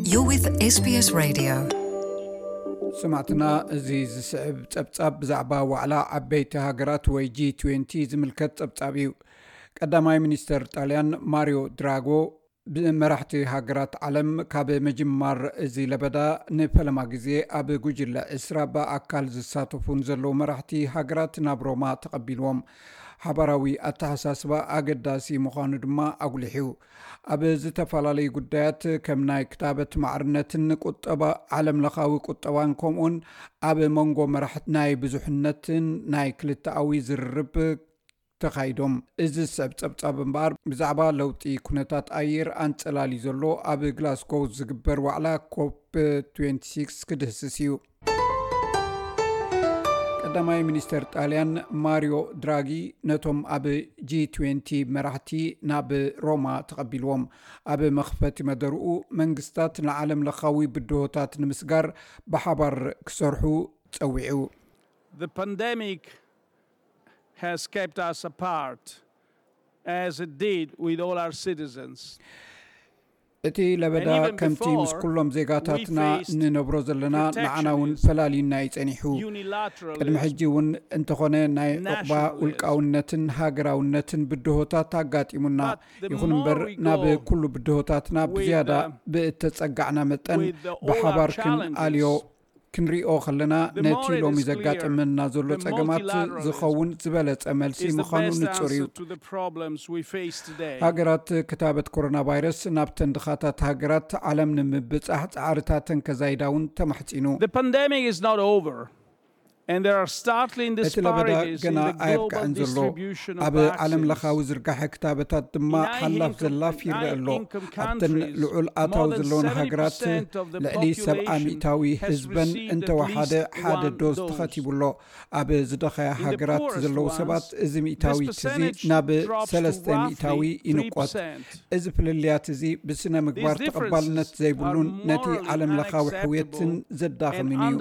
You're with SBS Radio. ስማዕትና፣ እዚ ዝስዕብ ጸብጻብ ብዛዕባ ዋዕላ ዓበይቲ ሃገራት ወይ ጂ ትዌንቲ ዝምልከት ጸብጻብ እዩ። ቀዳማይ ሚኒስተር ጣልያን ማሪዮ ድራጎ ብመራሕቲ ሃገራት ዓለም ካብ ምጅማር እዚ ለበዳ ንፈለማ ግዜ ኣብ ጉጅለ ዕስራ ብኣካል ዝሳተፉን ዘለዉ መራሕቲ ሃገራት ናብ ሮማ ተቐቢልዎም። ሓባራዊ ኣተሓሳስባ ኣገዳሲ ምዃኑ ድማ ኣጉሊሑ። ኣብ ዝተፈላለዩ ጉዳያት ከም ናይ ክታበት ማዕርነትን ቁጠባ፣ ዓለም ለኻዊ ቁጠባን ከምኡውን ኣብ መንጎ መራሕቲ ናይ ብዙሕነትን ናይ ክልተኣዊ ዝርርብ ተኻይዶም። እዚ ዝስዕብ ጸብጻብ እምበኣር ብዛዕባ ለውጢ ኩነታት ኣየር ኣንጸላልዩ ዘሎ ኣብ ግላስጎ ዝግበር ዋዕላ ኮፕ ትዌንቲ ሲክስ ክድህስስ እዩ። ቀዳማይ ሚኒስተር ጣልያን ማሪዮ ድራጊ ነቶም ኣብ ጂ ትዌንቲ መራሕቲ ናብ ሮማ ተቐቢልዎም። ኣብ መኽፈቲ መደርኡ መንግስታት ንዓለም ለኻዊ ብድሆታት ንምስጋር ብሓባር ክሰርሑ ጸዊዑ። The pandemic has kept us apart, as it did with all our citizens. እቲ ለበዳ ከምቲ ምስ ኩሎም ዜጋታትና ንነብሮ ዘለና ንዓና እውን ፈላልዩና እዩ ጸኒሑ። ቅድሚ ሕጂ እውን እንተኾነ ናይ ዕቑባ ውልቃውነትን ሃገራውነትን ብድሆታት ኣጋጢሙና። ይኹን እምበር ናብ ኩሉ ብድሆታትና ብዝያዳ ብእተጸጋዕና መጠን ብሓባር ክንኣልዮ ክንሪኦ ከለና ነቲ ሎሚ ዘጋጠመና ዘሎ ጸገማት ዝኸውን ዝበለጸ መልሲ ምዃኑ ንጹር እዩ። ሃገራት ክታበት ኮሮና ቫይረስ ናብተን ድኻታት ሃገራት ዓለም ንምብጻሕ ጻዕርታተን ከዛይዳ እውን ተማሕጺኑ። እቲ ለበዳ ገና ኣየብቅዐን ዘሎ። ኣብ ዓለም ለኻዊ ዝርጋሐ ክታበታት ድማ ሓላፍ ዘላፍ ይረአ ኣሎ። ኣብተን ልዑል ኣታዊ ዘለወን ሃገራት ልዕሊ ሰብዓ ሚእታዊ ህዝበን እንተወሓደ ሓደ ዶዝ ተኸቲቡ ኣሎ። ኣብ ዝደኸያ ሃገራት ዘለዉ ሰባት እዚ ሚእታዊት እዚ ናብ ሰለስተ ሚእታዊ ይንቆት። እዚ ፍልልያት እዚ ብስነ ምግባር ተቐባልነት ዘይብሉን ነቲ ዓለም ለኻዊ ሕውየትን ዘዳኸምን እዩ።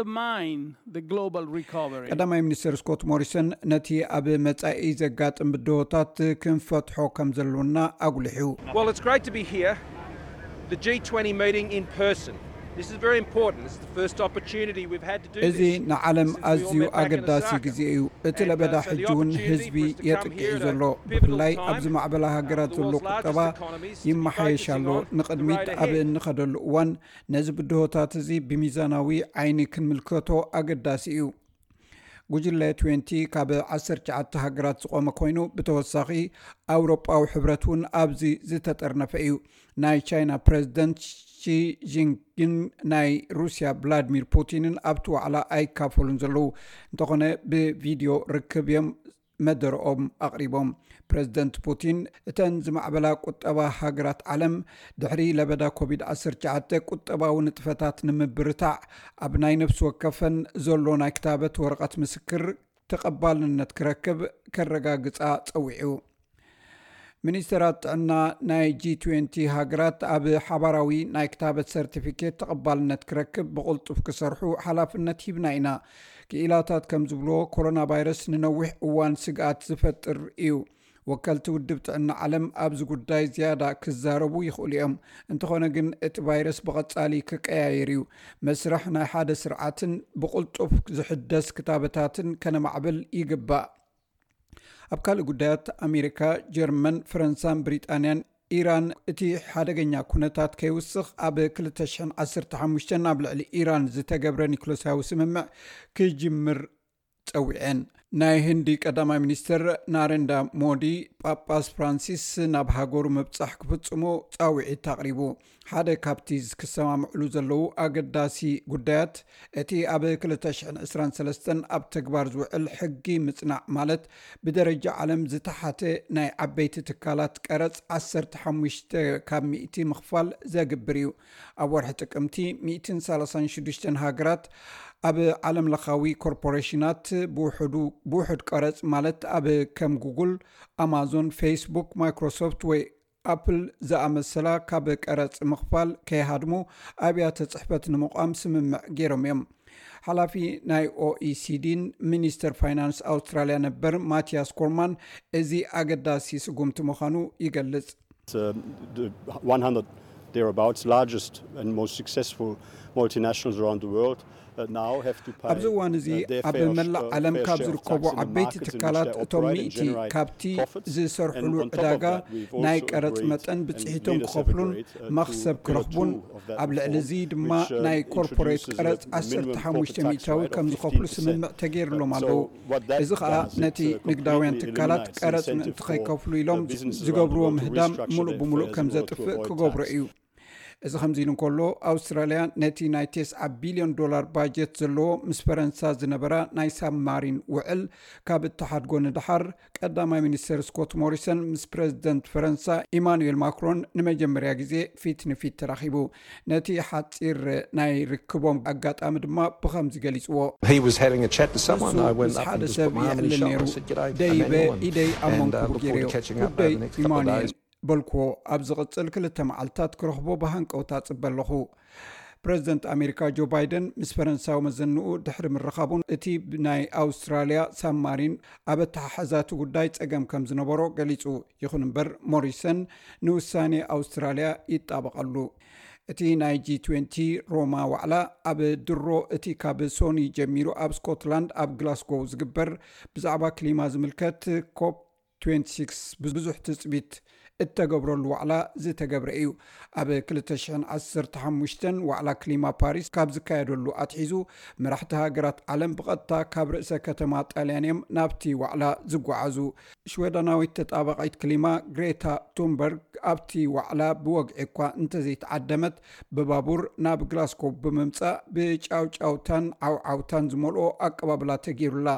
ቀዳማይ ሚኒስተር ስኮት ሞሪሰን ነቲ ኣብ መጻኢ ዘጋጥም ብድሆታት ክንፈትሖ ከም ዘሎና ኣጉሊሑ። Well, it's great to be here. The G twenty meeting in person. This is very important. This is the first opportunity we've had to do this. እዚ ንዓለም ኣዝዩ ኣገዳሲ ግዜ እዩ። እቲ ለበዳ ሕጂ እውን ህዝቢ የጥቅዕ እዩ ዘሎ። ብፍላይ ኣብ ዝማዕበላ ሃገራት ዘሎ ቁጠባ ይመሓየሽ ኣሎ። ንቕድሚት ኣብ እንኸደሉ እዋን ነዚ ብድሆታት እዚ ብሚዛናዊ ዓይኒ ክንምልከቶ ኣገዳሲ እዩ። ጉጅለ ትዌንቲ ካብ ዓሰርተ ትሽዓተ ሃገራት ዝቖመ ኮይኑ፣ ብተወሳኺ ኣውሮጳዊ ሕብረት እውን ኣብዚ ዝተጠርነፈ እዩ። ናይ ቻይና ፕረዚደንት ሺ ጂንፒንግን ናይ ሩስያ ቭላድሚር ፑቲንን ኣብቲ ዋዕላ ኣይካፈሉን ዘለዉ እንተኾነ ብቪድዮ ርክብ እዮም መደረኦም ኣቕሪቦም። ፕረዚደንት ፑቲን እተን ዝማዕበላ ቁጠባ ሃገራት ዓለም ድሕሪ ለበዳ ኮቪድ ዓሰርተ ትሽዓተ ቁጠባዊ ንጥፈታት ንምብርታዕ ኣብ ናይ ነፍሲ ወከፈን ዘሎ ናይ ክታበት ወረቐት ምስክር ተቐባልነት ክረክብ ከረጋግጻ ጸዊዑ። ሚኒስተራት ጥዕና ናይ ጂ ትዌንቲ ሃገራት ኣብ ሓባራዊ ናይ ክታበት ሰርቲፊኬት ተቐባልነት ክረክብ ብቕልጡፍ ክሰርሑ ሓላፍነት ሂብና ኢና። ክኢላታት ከም ዝብልዎ ኮሮና ቫይረስ ንነዊሕ እዋን ስግኣት ዝፈጥር እዩ። ወከልቲ ውድብ ጥዕና ዓለም ኣብዚ ጉዳይ ዝያዳ ክዛረቡ ይኽእሉ እዮም። እንተኾነ ግን እቲ ቫይረስ ብቐጻሊ ክቀያየር እዩ። መስርሕ ናይ ሓደ ስርዓትን ብቕልጡፍ ዝሕደስ ክታበታትን ከነማዕብል ይግባእ። ኣብ ካልእ ጉዳያት ኣሜሪካ፣ ጀርመን፣ ፈረንሳን ብሪጣንያን ኢራን እቲ ሓደገኛ ኩነታት ከይውስኽ ኣብ ክልተ ሽሕን ዓሰርተ ሓሙሽተን ኣብ ልዕሊ ኢራን ዝተገብረ ኒክለሳዊ ስምምዕ ክጅምር ጸዊዐን። ናይ ህንዲ ቀዳማይ ሚኒስትር ናሬንዳ ሞዲ ጳጳስ ፍራንሲስ ናብ ሃገሩ ምብጻሕ ክፍጽሙ ጻውዒት ኣቕሪቡ። ሓደ ካብቲ ክሰማምዕሉ ዘለዉ ኣገዳሲ ጉዳያት እቲ ኣብ ክልተ ሽሕን ዕስራን ሰለስተን ኣብ ተግባር ዝውዕል ሕጊ ምጽናዕ ማለት ብደረጃ ዓለም ዝተሓተ ናይ ዓበይቲ ትካላት ቀረጽ ዓሰርተ ሓሙሽተ ካብ ሚእቲ ምኽፋል ዘግብር እዩ። ኣብ ወርሒ ጥቅምቲ ሚእትን ሰላሳን ሽዱሽተን ሃገራት ኣብ ዓለም ለኻዊ ኮርፖሬሽናት ብውሕዱ ብውሑድ ቀረጽ ማለት ኣብ ከም ጉግል፣ ኣማዞን፣ ፌስቡክ፣ ማይክሮሶፍት ወይ ኣፕል ዝኣመሰላ ካብ ቀረጽ ምኽፋል ከይሃድሙ ኣብያተ ጽሕፈት ንምቋም ስምምዕ ገይሮም እዮም። ሓላፊ ናይ ኦኢሲዲን ሚኒስተር ፋይናንስ ኣውስትራልያ ነበር ማቲያስ ኮርማን እዚ ኣገዳሲ ስጉምቲ ምዃኑ ይገልጽ። It's uh, the one hundred Thereabouts, largest and most successful multinationals around the world uh, now have to pay ኣብዚ እዋን እዚ uh, their ኣብ fair መላእ sh- uh, ዓለም fair ካብ share of ዝርከቡ tax in the ዓበይቲ markets in which ትካላት they እቶም operate and ሚእቲ generate ካብቲ profits. ዝሰርሕሉ And on top of ዕዳጋ that, we've ናይ also ቀረጽ agreed መጠን and ብጽሒቶም leaders have ክኸፍሉን agreed, uh, to መኽሰብ Pillar ክረኽቡን two of that ኣብ ልዕሊ reform, እዚ ድማ which, uh, ናይ ኮርፖሬት introduces a ቀረጽ minimum ዓሰርተ ሓሙሽተ ሚእታዊ corporate tax ከም rate of ዝኸፍሉ fifteen percent. ስምምዕ ተገይሩሎም Uh, ኣለዉ። So what that እዚ ኸኣ does, it, ነቲ uh, ንግዳውያን completely ትካላት eliminates ቀረጽ incentive ምእንቲ for ከይከፍሉ ኢሎም the businesses ዝገብርዎ to ምህዳም avoid ሙሉእ pay ብሙሉእ fair ከም zero to ዘጥፍእ avoid ክገብሮ tax. እዩ። እዚ ከምዚ ኢሉ እንከሎ፣ ኣውስትራልያ ነቲ ናይ ተስዓ ቢልዮን ዶላር ባጀት ዘለዎ ምስ ፈረንሳ ዝነበራ ናይ ሳብማሪን ውዕል ካብ እተሓድጎ ንደሓር፣ ቀዳማይ ሚኒስተር ስኮት ሞሪሰን ምስ ፕረዚደንት ፈረንሳ ኢማኑኤል ማክሮን ንመጀመርያ ግዜ ፊት ንፊት ተራኺቡ። ነቲ ሓጺር ናይ ርክቦም ኣጋጣሚ ድማ ብኸምዚ ገሊጽዎ። He was having a chat to someone. ንሱ I went ምስ up ሓደ and just ሰብ put my arm on his ይዕልል shoulder ነይሩ። And said, "G'day, ደይበ Emmanuel." ኢደይ ኣብ And, መንኩቡ uh, look ገይረ፣ forward to catching up ጉዳይ over the next couple of ኢማኑኤል days. በልክዎ። ኣብ ዝቕጽል ክልተ መዓልታት ክረኽቦ ብሃንቀውታ ጽበ ኣለኹ። ፕረዚደንት ኣሜሪካ ጆ ባይደን ምስ ፈረንሳዊ መዘንኡ ድሕሪ ምርኻቡን እቲ ናይ ኣውስትራልያ ሳብማሪን ኣብ ኣተሓሕዛቲ ጉዳይ ጸገም ከም ዝነበሮ ገሊጹ። ይኹን እምበር ሞሪሰን ንውሳኔ ኣውስትራልያ ይጣበቐሉ። እቲ ናይ ጂ ትዌንቲ ሮማ ዋዕላ ኣብ ድሮ እቲ ካብ ሶኒ ጀሚሩ ኣብ ስኮትላንድ ኣብ ግላስጎው ዝግበር ብዛዕባ ክሊማ ዝምልከት ኮፕ ትዌንቲ ሲክስ ብዙሕ ትጽቢት እተገብረሉ ዋዕላ ዝተገብረ እዩ። ኣብ ክልተ ሽሕን ዓሰርተ ሓሙሽተን ዋዕላ ክሊማ ፓሪስ ካብ ዝካየደሉ ኣትሒዙ መራሕቲ ሃገራት ዓለም ብቐጥታ ካብ ርእሰ ከተማ ጣልያን እዮም ናብቲ ዋዕላ ዝጓዓዙ። ሽወደናዊት ተጣባቒት ክሊማ ግሬታ ቱንበርግ ኣብቲ ዋዕላ ብወግዒ እኳ እንተዘይተዓደመት ብባቡር ናብ ግላስኮ ብምምጻእ ብጫውጫውታን ዓውዓውታን ዝመልኦ ኣቀባብላ ተገይሩላ።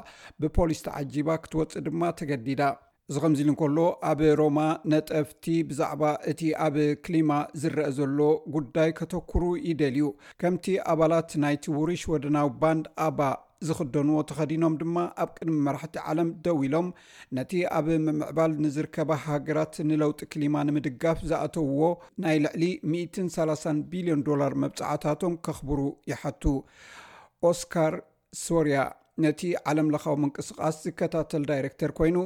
ብፖሊስ ተዓጂባ ክትወጽእ ድማ ተገዲዳ። እዚ ከምዚ ኢሉ እንከሎ፣ ኣብ ሮማ ነጠፍቲ ብዛዕባ እቲ ኣብ ክሊማ ዝረአ ዘሎ ጉዳይ ከተኩሩ ይደልዩ። ከምቲ ኣባላት ናይቲ ውሩይ ሽወደናዊ ባንድ ኣባ ዝኽደንዎ ተኸዲኖም ድማ ኣብ ቅድሚ መራሕቲ ዓለም ደው ኢሎም ነቲ ኣብ ምምዕባል ንዝርከባ ሃገራት ንለውጢ ክሊማ ንምድጋፍ ዝኣተውዎ ናይ ልዕሊ ሚእትን ሰላሳን ቢልዮን ዶላር መብጽዓታቶም ከኽብሩ ይሓቱ። ኦስካር ሶርያ ነቲ ዓለም ለኻዊ ምንቅስቓስ ዝከታተል ዳይሬክተር ኮይኑ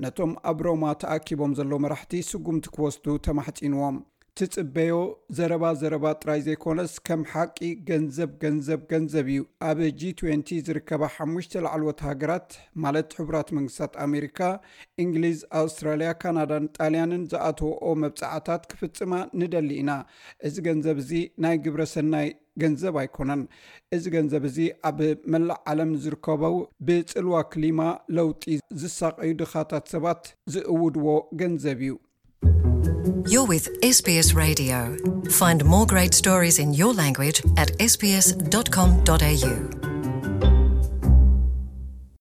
ነቶም ኣብ ሮማ ተኣኪቦም ዘለዉ መራሕቲ ስጉምቲ ክወስዱ ተማሕጺንዎም። ትጽበዮ ዘረባ ዘረባ ጥራይ ዘይኮነስ ከም ሓቂ ገንዘብ ገንዘብ ገንዘብ እዩ። ኣብ ጂ ትዌንቲ ዝርከባ ሓሙሽተ ላዕለዎት ሃገራት ማለት ሕቡራት መንግስታት ኣሜሪካ፣ እንግሊዝ፣ ኣውስትራልያ፣ ካናዳን ጣልያንን ዝኣተወኦ መብጻዕታት ክፍጽማ ንደሊ ኢና። እዚ ገንዘብ እዚ ናይ ግብረ ሰናይ ገንዘብ ኣይኮነን። እዚ ገንዘብ እዚ ኣብ መላእ ዓለም ዝርከበው ብጽልዋ ክሊማ ለውጢ ዝሳቐዩ ድኻታት ሰባት ዝእውድዎ ገንዘብ እዩ። You're with S B S Radio. Find more great stories in your language at S B S dot com dot A U.